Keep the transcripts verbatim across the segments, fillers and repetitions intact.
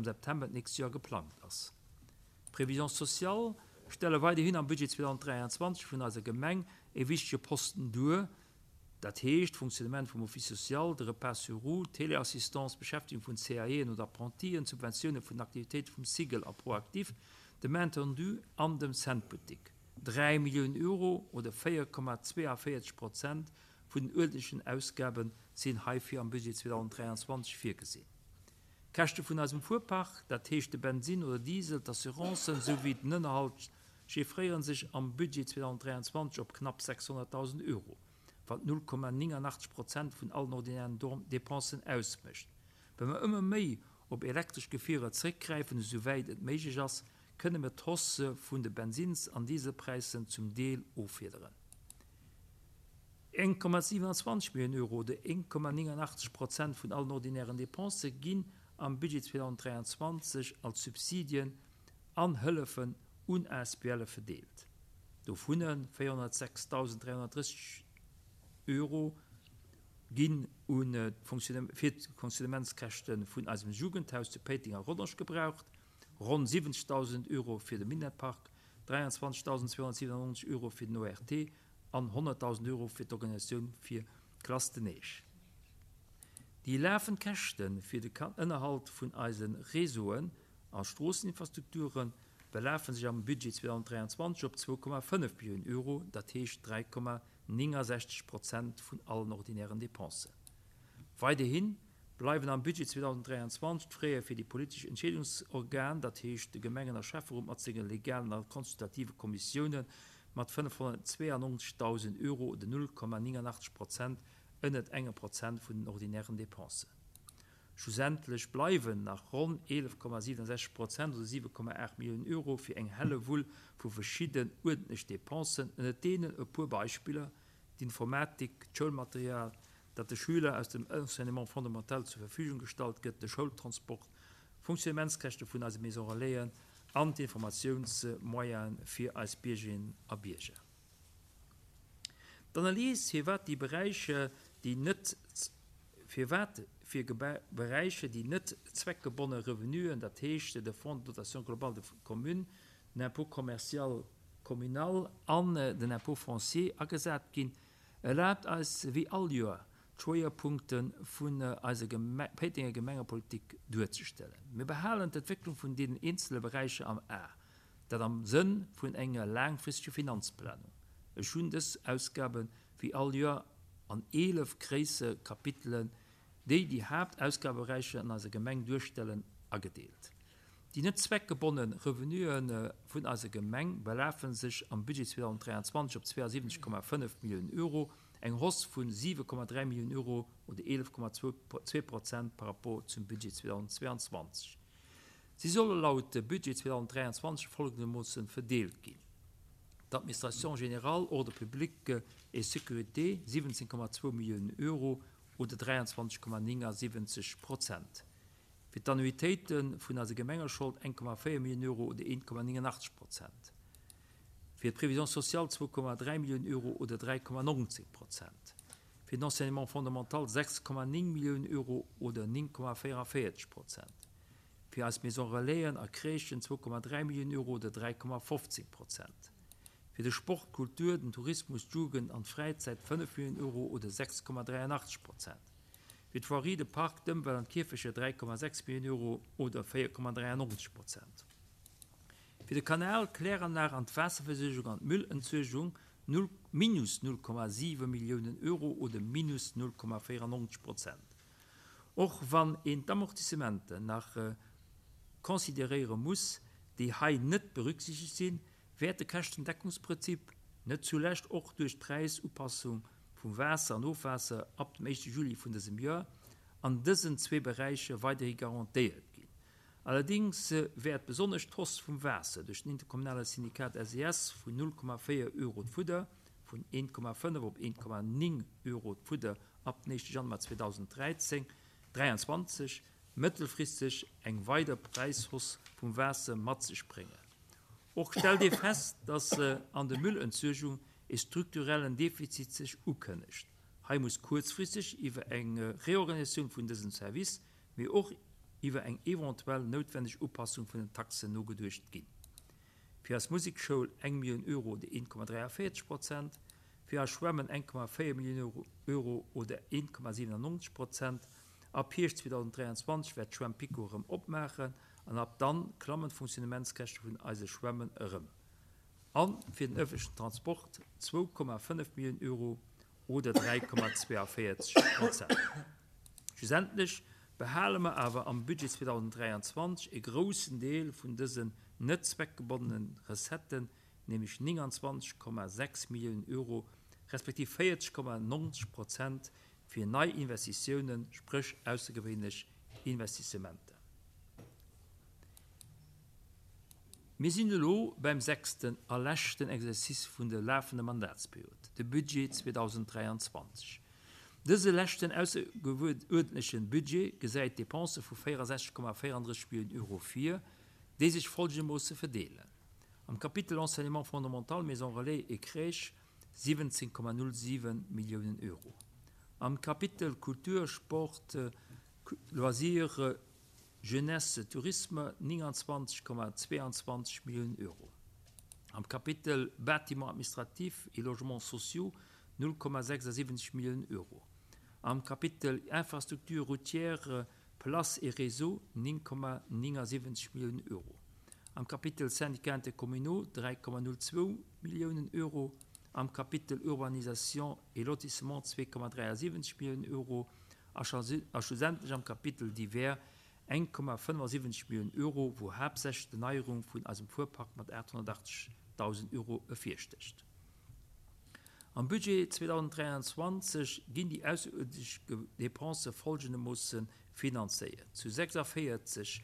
am September d'nächst Joer geplangt ass. D'Prévisions sociales stelle weiderhin am Budget zweedausenddräianzwanzeg vun eiser Gemeng e wichtege Posten duer, dat heescht d'Fonctionnement vum Office social, de Repas sur roues, d'Téléassistance, d'Beschäftegung vun C A Eën oder Apprentien, d'Subventioune vun den Aktivitéite vum Sigel a Proactif, de Main Tendue an dem Cent-Boutique. Dräi Milliounen Euro oder véier Komma zweiundvéierzeg Prozent vun den uerdentlechen Ausgabe sinn heifir am Budget zweedausenddräianzwanzeg virgesinn. D'Käschte vun eisem Fuerpark, dat heescht de Bensinn oder Diesel, d'Assurancen souwéi den Ënnerhalt, chiffréieren sech am Budget zweedausenddräianzwanzeg op knapp sechshonnertdausend Euro, wat null Komma neunundachtzig Prozent vun allen ordinären Dépensen ausmécht. Wa mer ëmmer méi op elektresch Gefierer zréckgräifen, esouwäit et méiglech ass, kënne mir d'Hausse vun de Bensins- an Dieselpräisen zum Deel offiederen. een Komma siebenundzwanzig Millionen Euro oder een Komma neunundachtzig Prozent vun allen ordinären Dépense ginn am Budget zweedausenddräianzwanzeg als Subsidien an Hëllefen un A S B L verdeelt. Dovun vierhundertsechstausenddreihundertdreißig Euro ginn un d'Fonctionnem-, fir d'Fonctionnementskäschte vun eisem Jugendhaus zu Péiteng a Rodange gebraucht, ronn siwwenzigtausend Euro fir de Minetpark, dräiandzwanzigtausendzweihundertsiebenundneunzig Euro fir den O R T an hunderttausend Euro fir d'Organisatioun fir d'Klasse de Neige. Déi laufend Käschte fir de Ka-, Ënnerhalt vun eisen Réseauen a Stroosseninfrastrukturen belafen sech am Budget zweedausenddräiandzwanzeg op zwei Komma fënnef Millionen Euro, dat heescht drei Komma neunundsechzig Prozent vun allen ordinären Dépensen. Weiderhin bleiwen am Budget zweedausenddräiandzwanzeg d'Fräe fir die politesch Entscheidungsorgane, dat heescht de Gemengen- a Schäfferot mat senge legalen a konsultative Kommissioune mat fënnefhundertzweiundneunzigtausend Euro oder null Komma neunundachtzig Prozent ënnert engem Prozent vun den ordinären Dépensen. Schlussendlich bleiwen nach ronn elf Komma siebenundsechzig Prozent oder sieben Komma acht Millionen Euro fir eng Hellewull vu verschiedenen ordentlichen Dépensen, ënnert deenen e puer Beispiller, d'Informatik, d'Schoulmaterial, dat de Schüler aus dem Enseignement fondamental zur Verfügung gestallt gëtt, de Schoultransport, Funktionnementskäschte vun eise Maison Relaisen an d'Informationsmoyenen fir eis Biergerinnen a Bierger. D'Analyse, fir wat déi Beräiche, déi net fir wat fir Gebe-, Beräiche, déi net zweckgebundene Revenuen, dat heescht de Fonds de dotation globale de commune, den Impôt commercial communal an den Impôt foncier agesat ginn, erlaubt eis wéi all Joer d'Schwéierpunkte vun eiser Geme-, Péitenger Gemengepolitik duerzestellen. Mir behalen d'Entwécklung vun den einzelnen Beräicher am A, dat am Sënn vun enger langfristigen Finanzplanung. Ech hunn dës Ausgaben wéi all Joer an elef gréisse Kapitelen, déi die Hauptausgabebereiche an eiser Gemeng duerstellen, agedeelt. Die net zweckgebundenen Revenuen vun eiser Gemeng belafen sech am Budget zweedausenddräiandzwanzeg op zweiundsiebzig Komma fënnef Millionen Euro, eng Hausse vun sieben Komma drei Millionen Euro oder elf Komma zwei Prozent par rapport zum Budget zweedausendzweiundzwanzig. Sie sollen laut Budget zweedausenddräiandzwanzig folgendermaßen verdeelt ginn. D'Administration générale, Ordre public et Sécurité siebzehn Komma zwei Millionen Euro oder dräiundzwanzig Komma neunundsiebzig Prozent. Fir d'Annuitéiten vun eiser Gemengeschold ein Komma vier Millionen Euro oder ein Komma neunundachtzig Prozent. Fir d'Prévision sociale zwei Komma drei Millionen Euro oder drei Komma neunzig Prozent. Fir d'Enseignement fondamental sechs Komma neun Millionen Euro oder neun Komma vierundvierzig Prozent. Fir eis Maison Relaisen a Crèchen zwei Komma drei Millionen Euro oder drei Komma fünfzig Prozent. Fir de Sport, Kultur, den Tourismus, d'Jugend an d'Fräizäit fënnef Millionen Euro oder sechs Komma dräiundachtzig Prozent. Fir d'Voirie, de Park, d'Ëmwelt an d'Kierfecher drei Komma sechs Millionen Euro oder vier Komma dräiundneunzig Prozent. Fir de Kanal, Kläranlage an d'Waasserversuergung an d'Müllentsuergung null, minus null Komma sieben Millionen Euro oder minus null Komma vierundneunzig Prozent. Och wann een d'Amortissementen nach, äh, consideréiere muss, déi hei net berücksichtigt sinn, wäert de Käschtendeckungsprinzip net zulescht och duerch d'Präisupassung vum Waasser an Ofwaasser ab dem éischte Juli vun dësem Joer an dësen zwee Beräiche weiderhi garantéiert ginn. Allerdings wäert besonnesch d'Hausse vum Waasser duerch den interkommunale Syndikat S E S vun null Komma vier Euro d'Fudder vun een Komma fënnef op een Komma neun Euro d'Fudder ab dem éischte Januar zweedausenddräizehn, dräiundzwanzeg mëttelfristeg eng weider Präishausse vum Waasser mat sech bréngen. Och stellt Dir fest, dass, äh, an der Müllentsuergung e strukturellen Defizit sech ukënnegt. Hei muss kurzfristig iwwer eng, äh, Reorganisatioun vun dësem Service, mee och iwwer eng eventuell noutwenneg Upassung vun den Taxen nogeduecht ginn. Fir eis Musekschoul eng Millioun Euro oder een Komma dräiavéierzeg Prozent, fir eis Schwämmen eng Komma véier Millioun Euro oder een Komma siwenannonzeg Prozent. Ab Hierscht zweedausenddräianzwanzeg wäert d'Schwämm PiKo erëm opmaachen an ab dann klammen d'Fonctionnementskäschte vun eise Schwämmen erëm. A fir den ëffentlechen Transport zwou Komma fënnef Milliounen Euro oder dräi Komma zweiavéierzeg Prozent. Schlussendlech behale mer awer am Budget zweedausenddräianzwanzeg e groussen Deel vun dësen net zweckgebonnene Recetten, nämlech nénganzwanzeg Komma sechs Milliounen Euro respektiv véierzeg Komma nonzeg Prozent fir nei Investitiounen, spréch aussergewéinlech Investissementer. Mir sinn elo beim sechsten a leschten Exercice vun der lafender Mandatsperiod, de Budget zweedausenddräianzwanzeg. Dëse leschten aussergewöhnlechen Budget gesäit Dépense vu véierundsechzeg Komma véierunddrësseg Milliounen Euro vir, déi sech folgendermoosse verdeelen. Am Kapitel Enseignement fondamental, Maison Relais et Crèche siwwenzéng Komma null siwen Milliounen Euro. Am Kapitel Kultur, Sport, Loisirs, Jeunesse, Tourisme nénganzwanzeg Komma zweeanzwanzeg Milliounen Euro. Am Kapitel Bâtiments administratifs et logements sociaux null Komma sechsundsiwwenzeg Milliounen Euro. Am Kapitel Infrastructures routières, Places et réseaux néng Komma néngasiwwenzeg Milliounen Euro. Am Kapitel Syndicats intercommunaux dräi Komma null zwou Milliounen Euro. Am Kapitel Urbanisation et lotissement zwee Komma dräiasiwwenzeg Milliounen Euro. A schlussendlech am Kapitel Divers eng Komma fënnefundsiwwenzeg Milliounen Euro, wou haaptsächlech d'Erneierung vun eisem Fuerpark mat aathonnertachtzegdausend Euro ervirstécht. Am Budget zweedausenddräianzwanzeg ginn déi ausseruerdentlech Dépense folgendermoosse finanzéiert: zu sechsundvierzig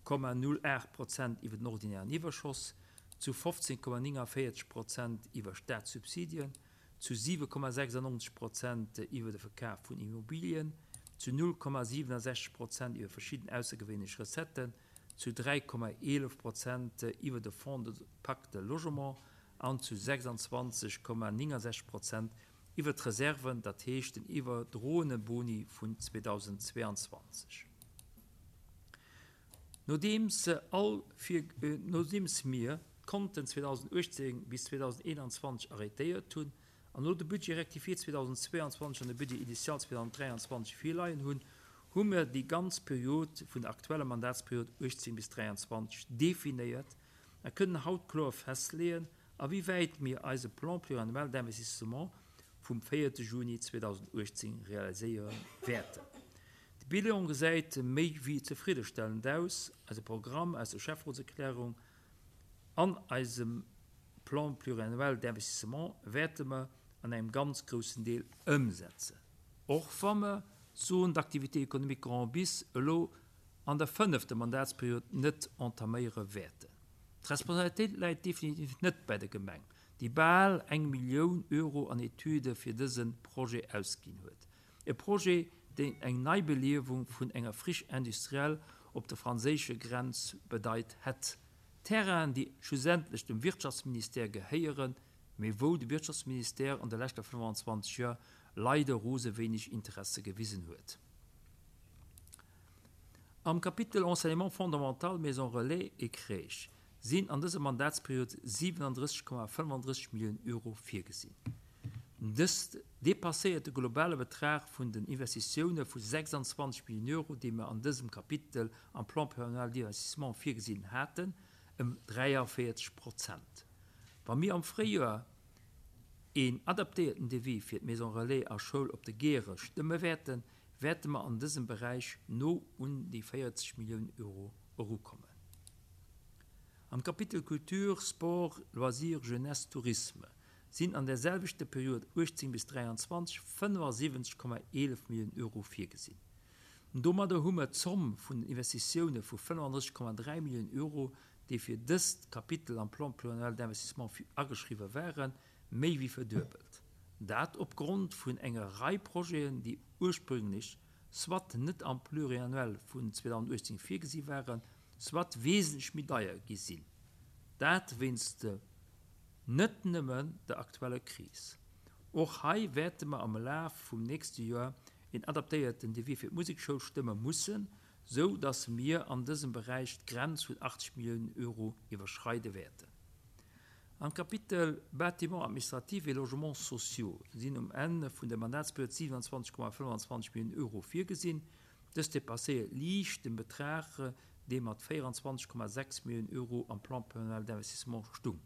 Komma null acht Prozent iwwer den ordinären Iwwerschoss, zu fofzehn Komma neunundvierzig Prozent iwwer Staatssubsidien, zu siwe Komma sechsundneunzig Prozent iwwer de Verkauf vun Immobilien, zu null Komma siebenundsechzig Prozent iwwer verschieden aussergewöhnliche Recetten, zu drei Komma elf Prozent iwwer de Fonds de Pacte Logement an zu sechsundzwanzig Komma neunundsechzig Prozent iwwer d'Reserven, dat heescht den iwwerdrohene Boni vun zweitausendzweiundzwanzig. Nodeems all vier, äh, nodeems mir d'Konten zweitausendachtzehn bis zweitausendeinundzwanzig arrêtéiert hunn an no de Budget rectifié zweitausendzweiundzwanzig an de Budget initial zweitausenddräiundzwanzig virleien hunn, hu mir déi ganz Period vun der aktueller Mandatsperiod achtzehn bis dräiundzwanzig definéiert a kënnen haut kloer festleeën, a wéi wäit mir eise Plan pluriannuel d'investissement vum véierte Juni zweitausendachtzehn realiséieren wäerten. De Bilan gesäit méi wéi zefriddestellend aus, eise Programm aus der Chefratserklärung an eisem Plan pluriannuel d'investissement wäerte mer an engem ganz großen Deel ëmsetzen. Och wa mer Zone d'activité économique Grand Bis elo an der fënnefter Mandatsperiod net entaméiere wäerten. D'Responsabilitéit läit definitiv net bei der Gemeng, déi bal eng Millioun Euro an Etüde fir dëse Projet ausginn huet. E Projet, deen eng Neibeliewung vun enger Friche industrielle op der franséische Grenz bedeit hätt. Terrain, déi schlussendlech dem Wirtschaftsministère gehéieren, mee wou de Wirtschaftsministère an der leschter fënnefanzwanzeg Joer leider rose wenig Interesse gewisen huet. Am Kapitel Enseignement fondamental, Maison Relais et Crèche sinn an dëser Mandatsperiod siebenunddrësseg Komma fënnefundrësseg Millioune Euro virgesinn. Dëst dépasséiert de globale Betrag vun den Investitioune vu sechsundzwanzeg Millioune Euro, déi mer an dësem Kapitel am Plan pluriannuel d'investissement virgesinn haten, ëm dräiundvierzig Prozent. Wa mir am Fréijoer een adaptéierten Devis fir d'Maison Relais a Schoul op de Gere stëmme wäerten, wäerte mer an dësem Beräich no un déi vierzig Millioune Euro erukommen. Am Kapitel Kultur, Sport, Loisirs, Jeunesse, Tourisme sinn an derselwechter Period achtzehn bis dräiundzwanzig fënnefundsiwwenzeg Komma elf Millioune Euro virgesinn. Domadder hu mer d'Zomm vun den Investitioune vu fënnefundrësseg Komma dräi Millioune Euro, déi fir dëst Kapitel am Plan pluriannuel d'investissement fi-, ageschriwwen waren, méi wéi verduebelt. Dat opgrond vun enger Rei Projeten, déi ursprünglech soit net am Pluriannuel vun zweitausendachtzehn virgesi waren, soit wesentlech méi deier gi sinn. Dat wéinst net nëmmen der aktueller Kris. Och hei wäerte mer am Laf vum nächste Joer een adaptéierten Devis fir d'Musekschoul stëmme mussen, sou dass mir an dësem Beräich d'Grenz vun achtzeg Milliounen Euro iwwerschreide wäerten. Am Kapitel Bâtiments administratifs et logements sociaux sinn um Enn vun der Mandatsperiod siewenundzwanzeg Komma fënnefanzwanzeg Milliounen Euro virgesinn. Dës dépasséiert liicht den Betrag, dee mat véierundzwanzeg Komma sechs Milliounen Euro am Plan pluriannuel d'investissement stung.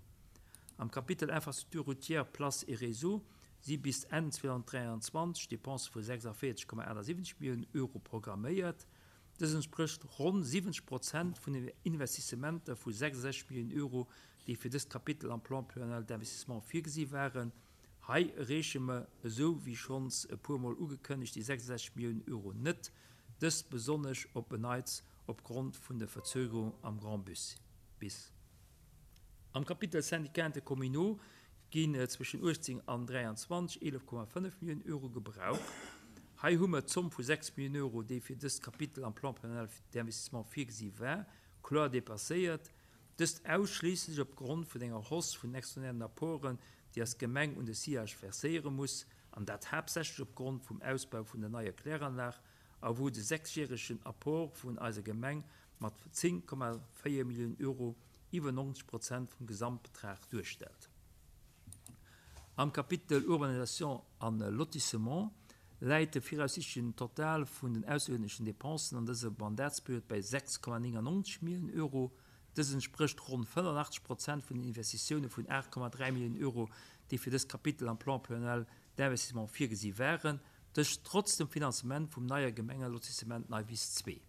Am Kapitel Infrastructures routières, places et réseaux si bis Enn zweitausenddräianzwanzeg Dépense vu sechsundvierzig Komma achtundsiebzig Milliounen Euro programméiert. Dës entspricht ronn siwwenzeg Prozent vun den Investissementer vu sechsundsechzig Milliounen Euro, déi fir dëst Kapitel am Plan pluriannuel d'investissement virgesi waren. Hei erreeche mer, esou wéi schonns e puermol ugekënnegt, déi sechsundsechzig Milliounen Euro net, dëst besonnesch op en Neits opgrond vun der Verzögerung am Grand Bus. Bis. Am Kapitel Syndicats intercommunaux ginn zwëschen achtzehn an dräianzwanzeg eelef Komma fënnef Milliounen Euro gebraucht. Hei hu mer d'Zomm vu sechs Milliounen Euro, déi fir dëst Kapitel am Plan pluriannuel d'investissement virgesi war, kloer dépasséiert. Dëst ausschließlich opgrond vun enger Hausse vun extraordinären Apporten, déi als Gemeng un de S I A G verséiere muss, an dat haaptsächlech opgrond vum Ausbau vun der neier Kläranlag, a wou de sechsjähregen Apport vun eiser Gemeng mat zéng Komma véier Milliounen Euro iwwer neunzig Prozent vum Gesamtbetrag duerstellt. Am Kapitel Urbanisation an Lotissement läit de viraussichtlichen Total vun den aussergewöhnlichen Dépensen an dëser Mandatsperiod bei sechs Komma neunundneunzig Milliounen Euro. Dës entspricht rund fünfundachtzig Prozent vun den Investitiounen vun acht Komma dräi Milliounen Euro, déi fir dëst Kapitel am Plan pluriannuel d'investissement virgesi waren, dës trotz dem Finanzement vum neie Gemengelotissement Neiwiss zwee.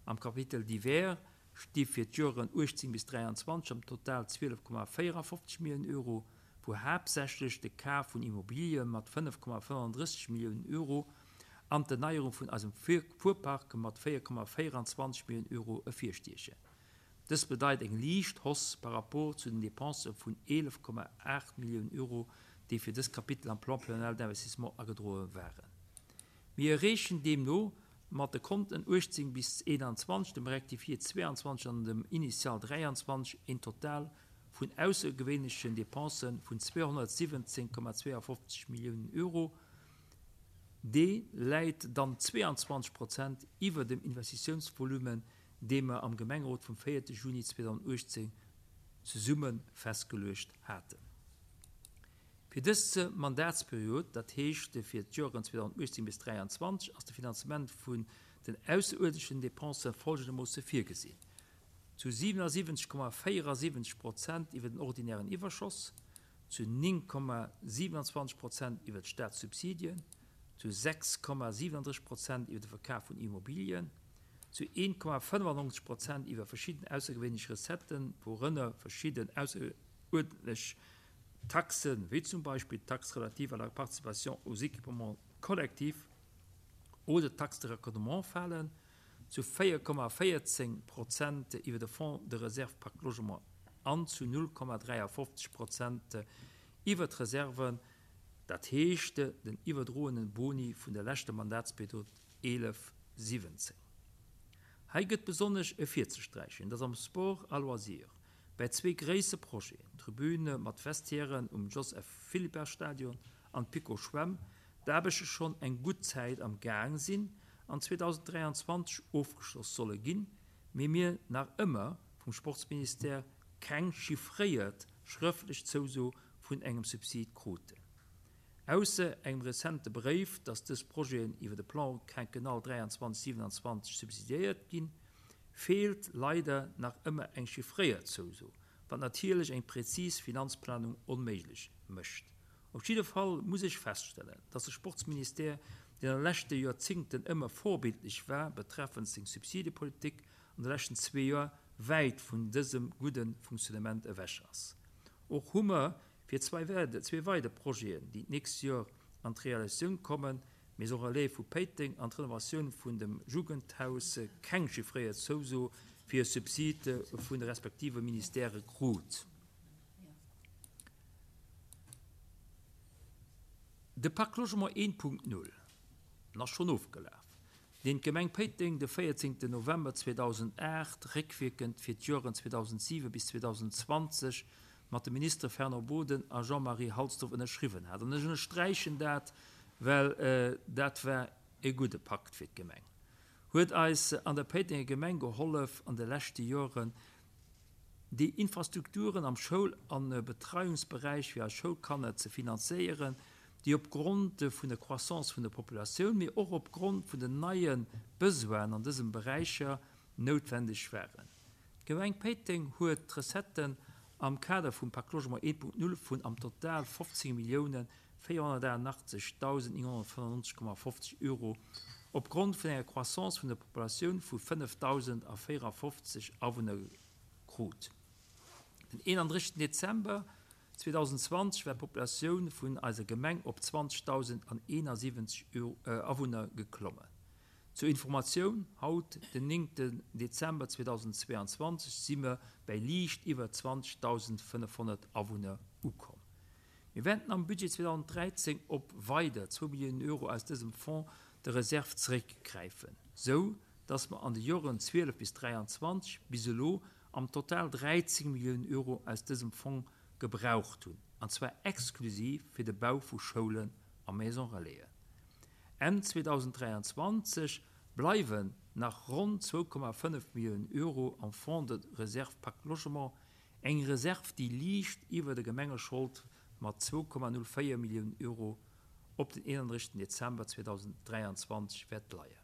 Am Kapitel Divers sti fir d'Joren achtzehn bis dräianzwanzig am Total zwielef Komma vierundfünfzig Millionen Euro, wou haaptsächlech de Kaf vun Immobilien mat fënnef Komma fënnenddrësseg Millionen Euro an d'Erneierung vun eisem Fuhrpark mat véier Komma vierundzwanzig Millionen Euro ervirstiechen. Dës bedeit eng liicht Hausse par rapport zu den Dépensen vun eelef Komma acht Millionen Euro, déi fir dës Kapitel am Plan pluriannuel d'investissement agedroe waren. Mir erreechen deemno mat de Konten achtzehn bis einundzwanzig, dem Rectifié zweiundzwanzig an dem Initial dräiandzwanzig een Total vun außergewöhnlichen Dépensen vun zweihundertsiebzehn Komma zweiundfünfzig Millionen Euro. Dee läit dann zweiundzwanzig Prozent iwwer dem Investitionsvolumen, dee mer am Gemengerot vum vierten Juni zweitausendachtzehn zesumme festgelegt hatten. Fir dëse Mandatsperiod, dat heescht fir d'Joren zweitausendachtzehn bis dräiandzwanzig, ass de Finanzement vun den außerordentlichen Dépensen folgendermaßen virgesehen. Zu siebenundsiebzig Komma vierundsiebzig Prozent iwwer den ordinären Iwwerschoss, zu neun Komma siebenundzwanzig Prozent iwwer d'Staatssubsidien, zu sechs Komma siebenunddreißig Prozent iwwer de Verkauf vun Immobilien, zu een Komma fünfundneunzig Prozent iwwer verschiedene außergewöhnliche Recetten, worunter verschiedene außerordentliche Taxen, wie zum Beispiel Taxe relative à la participation aux équipements collectifs oder Taxe de raccordement fallen, zu vier Komma vierzehn Prozent iwwer de Fonds de Réserve Pacte Logement an zu null Komma dreiundfünfzig Prozent iwwer d'Reserven, dat heescht den iwwerdrohenen Boni vun der leschten Mandatsperiod elf siebzehn. Hei gëtt besonnesch ervirzesträichen, dass am Sport à loisir bei zwee gréisse Projeten, Tribüne mat Vestiairen um Joseph Philippart Stadion an Pico Schwämm, d'Aarbechte schonn eng gutt Zäit am Gang sinn an zweitausenddräiandzwanzig ofgeschloss solle ginn, mee mir nach ëmmer vum Sportsministère keng chiffréiert schrëftlech Zouso vun engem Subsid kruten. Ausser engem rezente Bréif, dass dës Projeten iwwer de Plan quinquennal dräiandzwanzig siebenundzwanzig subsidiéiert ginn, fehlt leider nach ëmmer eng chiffréiert Zouso, wat natierlech eng präzis Finanzplanung onméiglech mécht. Op jidde Fall muss ich feststellen, dass de Sportsministère, deen an de leschte Joerzéngten ëmmer vorbildlich war betreffend seng Subsidepolitik, an de leschten zwee Joer wäit vun dësem gudden Funktionnement ewech ass. Och hu mer fir zwei werde, zwei weitere Projeten, déi d'nächst Joer an d'Realisatioun kommen, Maison Relais vu Péiteng an d'Renovatioun vun dem Jugendhaus keng chiffréiert Zouso fir Subside vun de respektive Ministère krut. De Pacte Logement een Punkt null ass schon ofgelaf, den d'Gemeng Péiteng de vierzehnten November zweitausendacht réckwirkend fir d'Joren zweitausendsieben bis zweitausendzwanzig mat dem Minister Fernand Boden a Jean-Marie Halsdorf ënnerschriwwen hat. An ech ënnersträichen dat, well, äh, dat war e gudde Pakt fir d'Gemeng. huet eis an der Péitenger Gemeng gehollef, an de leschte Joren déi Infrastrukturen am Schoul an Betreiungsberäich fir eis Schoulkanner ze finanzéieren, déi opgrond vun der Croissance vun der Populatioun, mee och opgrond vun den neie Besoinen an dësem Beräicher noutwendeg waren. D'Gemeng Péiteng huet d'Recetten am Kader vum Pacte Logement eent Punkt null vun am Total fofzéng Milliounen véierhonnertaachtenachtzegdausend nénghonnertfënnennonzeg Komma fofzeg Euro opgrond vun enger Croissance vun der Populatioun vu fënnefdausendvéierafofzeg Awunner krut. Den eenandrëssegsten Dezember zweedausendzwanzeg war d'Populatioun vun eiser Gemeng op zwanzegdausendeenasiwwenzeg Awunner geklommen. Zur Informatioun, haut, den néngten Dezember zweedausendzweeanzwanzeg, si mer bäi liicht iwwer zwanzegdausendfënnefhonnert Awunner ukomm. Mir wäerten am Budget zweedausenddräizéng op weider zwou Milliounen Euro aus dësem Fonds de réserve zeréckgräifen, sou dass mer an de Joren zwielef bis dräianzwanzeg bis elo am Total dräizéng Milliounen Euro aus dësem Fong gebraucht hunn, an zwar exklusiv fir de Bau vu Schoulen a Maisons Relaisen. Enn zweedausenddräianzwanzeg bleiwen nach ronn zwou Komma fënnef Milliounen Euro am Fonds de réserve Pacte Logement, eng Reserv, déi liicht iwwer der Gemengeschold mat zwou Komma null véier Milliounen Euro op den eenandrëssegsten Dezember zweedausenddräianzwanzeg wäert leien.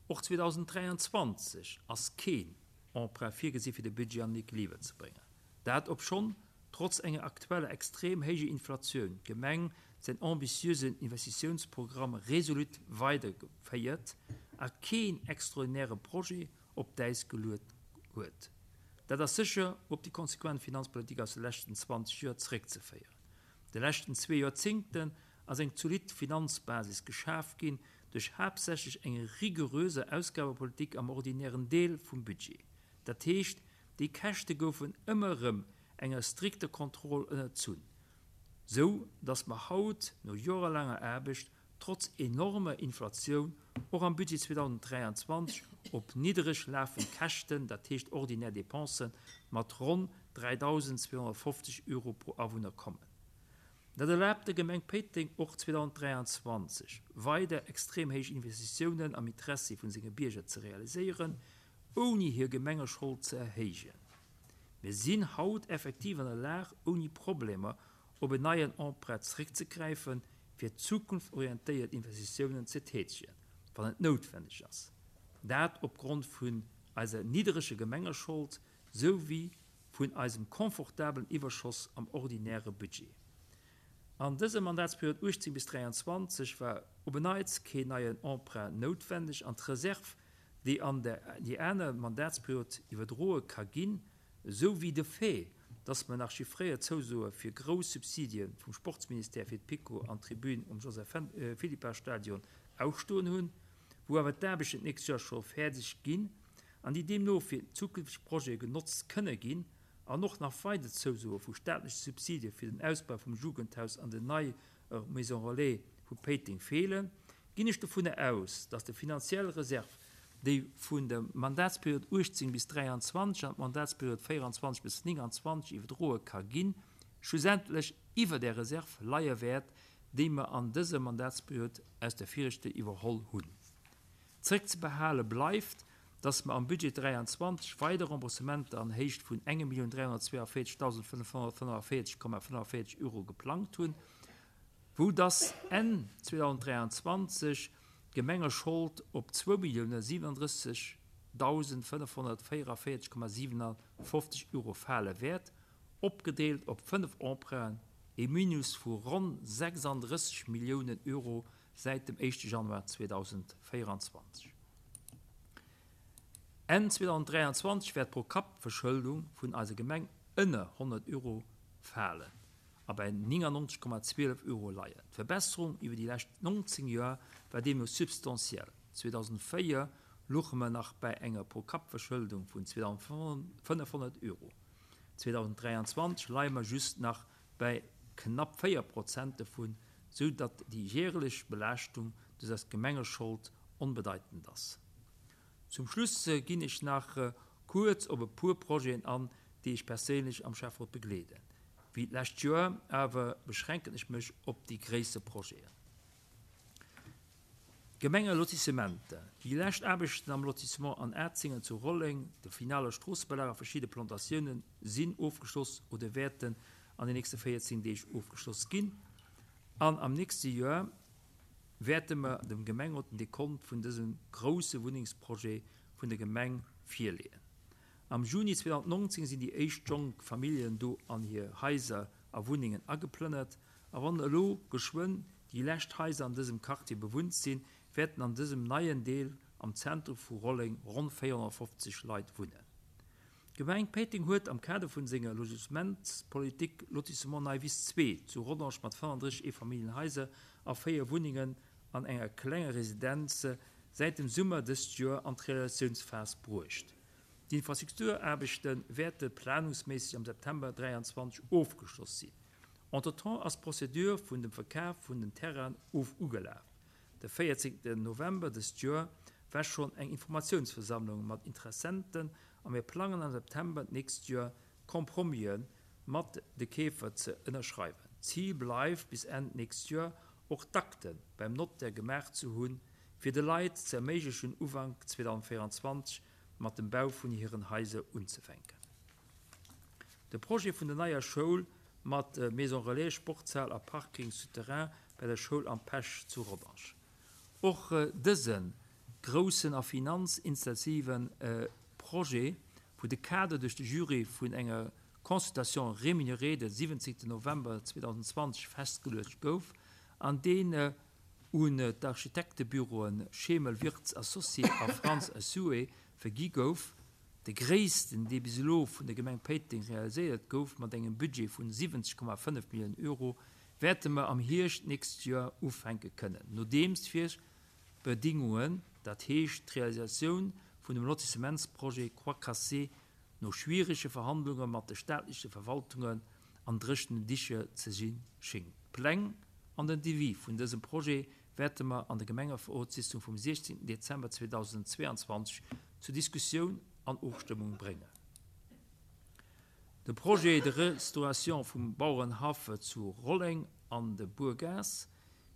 Och zweedausenddräianzwanzeg ass keen Emprunt virgesi fir de Budget an den Equiliber ze bréngen. Dat obschonn trotz enger aktueller extrem héijer Inflatioun d'Gemeng säin ambitiösen Investitiounsprogramm resolut weiderféiert a keen extraordinäre Projet op d'Äis geluet huet. Dat ass sécher op déi konsequent Finanzpolitik aus de leschten zwanzeg Joer zeréckzeféieren. De leschten zwee Joerzéngten ass eng zolidd Finanzbasis geschaf ginn duerch haaptsächlech eng rigoröse Ausgabepolitik am ordinären Deel vum Budget. Dat heescht, déi Käschte goufen ëmmer erëm enger strikter Kontroll ënnerzunn, sou datt mer haut no jorelaanger Aarbecht trotz enormer Inflatioun och am Budget zweedausenddräianzwanzeg op niddereg lafend Käschten, dat heescht ordinär Dépensen, mat ronn dräidausendzweehonnertfofzeg Euro pro Awunner kommen. Dat erlaabt der Gemeng Péiteng och zweedausenddräianzwanzeg weider extrem héich Investitiounen am Interessi vun senge Bierger ze realiséieren, ouni hir Gemengeschold ze erhéijen. Mir sinn haut effektiv an der Lag, ouni Problemer op en neien Emprunt zeréckzegräifen, fir zukunftsorientéiert Investitiounen ze tätegen, wann et noutwenneg ass. Dat opgrond vun eiser niddereger Gemengeschold souwéi vun eisem confortabelen Iwwerschoss am ordinäre Budget. An dëser Mandatsperiod uechtzéng bis dräianzwanzeg war op en Neits keen neien Emprunt noutwenneg an d'Reserv, déi an déi aner Mandatsperiod iwwerdroe ka ginn, esou wéi de Fait, dass mer nach chiffréiert Zousoe fir grouss Subsidie vum Sportsministère fir d'PiKo an d'Tribün um Joseph Philippart-Stadion ausstoen hunn, wou awer d'Aarbechten d'nächst Joer scho fäerdeg ginn an déi deemno fir zukünfteg Projete genotzt kënne ginn, an och nach weider Zousoe vu staatleche Subsidie fir den Ausbau vum Jugendhaus an der neier Maison Relais vu Péiteng feelen, ginn ech dovunner aus, dass déi finanziell Reserv, déi vun der Mandatsperiod uechtzéng bis dräianzwanzeg an d'Mandatsperiod véieranzwanzeg bis nénganzwanzeg iwwerdroe ka ginn, schlussendlech iwwer där Reserv leie wäert, déi mer an dëser Mandatsperiod aus der viregter iwwerholl hunn. Zréckzebehale bleift, dass mer am Budget dräianzwanzeg weider Remboursementer an Héicht vun enge Millioun dräihonnertzweeavéierzegdausendfënnefhonnertfënnefavierzeg Komma fënnefavierzeg Euro geplangt hunn, wou dass Enn zweedausenddräianzwanzeg d'Gemengeschold op zwou Millioune siwenundrëssegdausendfënnefhonnertvéieraféierzeg Komma siewenafofzeg Euro fale wäert, opgedeelt op fënnef Emprunten, e Minus vu ronn sechsandrësseg Milliounen Euro säit dem éischte Januar zweedausendvéieranzwanzeg. Enn zweedausenddräianzwanzeg wäert d'Pro-Kapp-Verschëldung vun eiser Gemeng ënner honnert Euro falen a bei néngannonzeg Komma zwielef Euro leien. D'Verbesserung iwwer déi lescht nonzéng Joer war deemno substantiell. zweedausendvéier louche mer nach bei enger Pro-Kapp-Verschëldung vun zweedausendfënnefhonnert Euro. zweedausenddräianzwanzeg leie mer just nach bei knapp véier Prozent dovun, sou datt déi järelech Belaaschtung duerch eis Gemengeschold onbedeitend ass. Zum Schluss ginn ech nach kuerz op e puer Projeten an, déi ech perséinlech am Schäfferot begleeden. Wéi d'lescht Joer awer beschränken ech mech op déi gréisser Projeten. Gemengelotissementer. Déi lescht Aarbechten am Lotissement An Atzingen zu Rolleng, de finale Stroossebelag a verschidde Plantatiounen sinn ofgeschloss oder wäerten an den nächste véierzéng Deeg ofgeschloss ginn. An am nächste Joer wäerte mer dem Gemengerot den Dekont vun dësem grousse Wunnengsprojet vun der Gemeng virleeën. Am Juni zweedausendnonzéng sinn déi éischt jonk Familljen do an hir Haiser a Wunnengen ageplënnert. A wann elo geschwënn déi lescht Haiser an dësem Quartier bewunnt sinn, wäerten an dësem neien Deel am Zentrum vu Rolleng ronn véierhonnertfofzeg Leit wunnen. D'Gemeng Péiteng huet am Kader vun senger Logementspolitik Lotissement Nei Wiss zwee zu Rodange mat fënnefandrësseg Eefamilljenhaiser a véier Wunnengen an enger klenger Residenz säit dem Summer dëst Joer an d'Realisatiounsphas bruecht. D'Infrastrukturaarbechte wäerte planungsméisseg am September dräianzwanzeg ofgeschloss sinn. Entretemps ass d'Procédure vun dem Verkaf vun den Terrainen of ugelaf. De véierzéngten November dëst Joer war schonn eng Informatiounsversammlung mat Interessenten a mir plangen am September d'nächst Joer d'Compromisen mat de Keefer ze ënnerschreiwen. D'Zil bleift bis Enn d'nächst Joer och d'Akte beim Notaire gemaach ze hunn, fir de Leit ze erméiglechen Ufank zweedausendvéieranzwanzeg mat dem Bau vun hiren Haiser unzefänken. De Projet vun der neier Schoul mat Maison Relais, Sportshal a Parking souterrain bei der Schoul Am Pesch zu Rodange. Och dëse groussen a finanzintensive Projet, wou de Kader duerch de Jury vun enger Consultation rémunérée de siwwenzéngten November zweedausendzwanzeg festgeluecht gouf an deen un d'Architektebüroen Schemel Wirtz Associés a Frantz Essue vergi gouf, de gréissten, dee bis elo vun der Gemeng Péiteng realiséiert gouf, mat engem Budget vun siwwenzeg Komma fënnef Milliounen Euro, wäerte mer am Hierscht d'nächst Joer ufänke kënnen, nodeems d'Virbedingungen, dat heescht d'Realisatioun vun dem Lotissementsprojet Croix Cassée no schwierege Verhandlunge mat de staatleche Verwaltungen an dréchenen Dicher ze si schéngt. D'Pläng an den Devis vun dësem Projet wäerte mer an der Gemengerotssitzung vum siechzéngten Dezember zweedausendzweeanzwanzeg zur Diskussioun an Ofstëmmung bréngen. De Projet de restauration vum Bauerenhaff zu Rolleng an der Buergaass.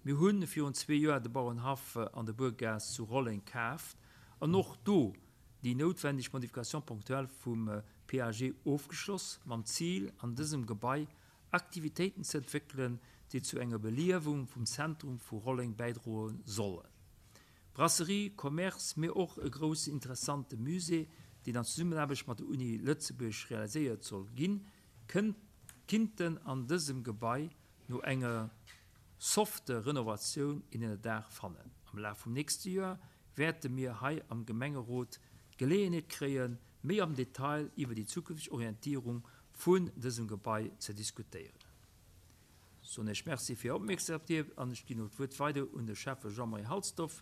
Mir hu virun zwee Joer de Bauerenhaff an der Buergaass zu Rolleng kaaft an och do déi noutwendeg Modification ponctuelle vum P A G ofgeschloss, mam Zil, an dësem Gebai Aktivitéiten ze entwéckelen, déi zu enger Beliewung vum Zentrum vu Rolleng bäidroe sollen. Brasserie, Commerce, mee och e groussen interessante Musée, deen an Zesummenaarbecht mat der Uni Lëtzebuerg realiséiert soll ginn, kinnten an dësem Gebai no enger softe Renovatioun een Ënnerdaach fannen. Am Laf vum nächste Joer wäerte mir hei am Gemengerot d'Geleeënheet kréien, méi am Detail iwwer déi zukünfteg Orientierung vun dësem Gebai ze diskutéieren. Soen Iech Merci fir Är Opmierksamkeet an ech ginn elo d'Wuert weider un de Schäffe Jean-Marie Halsdorf.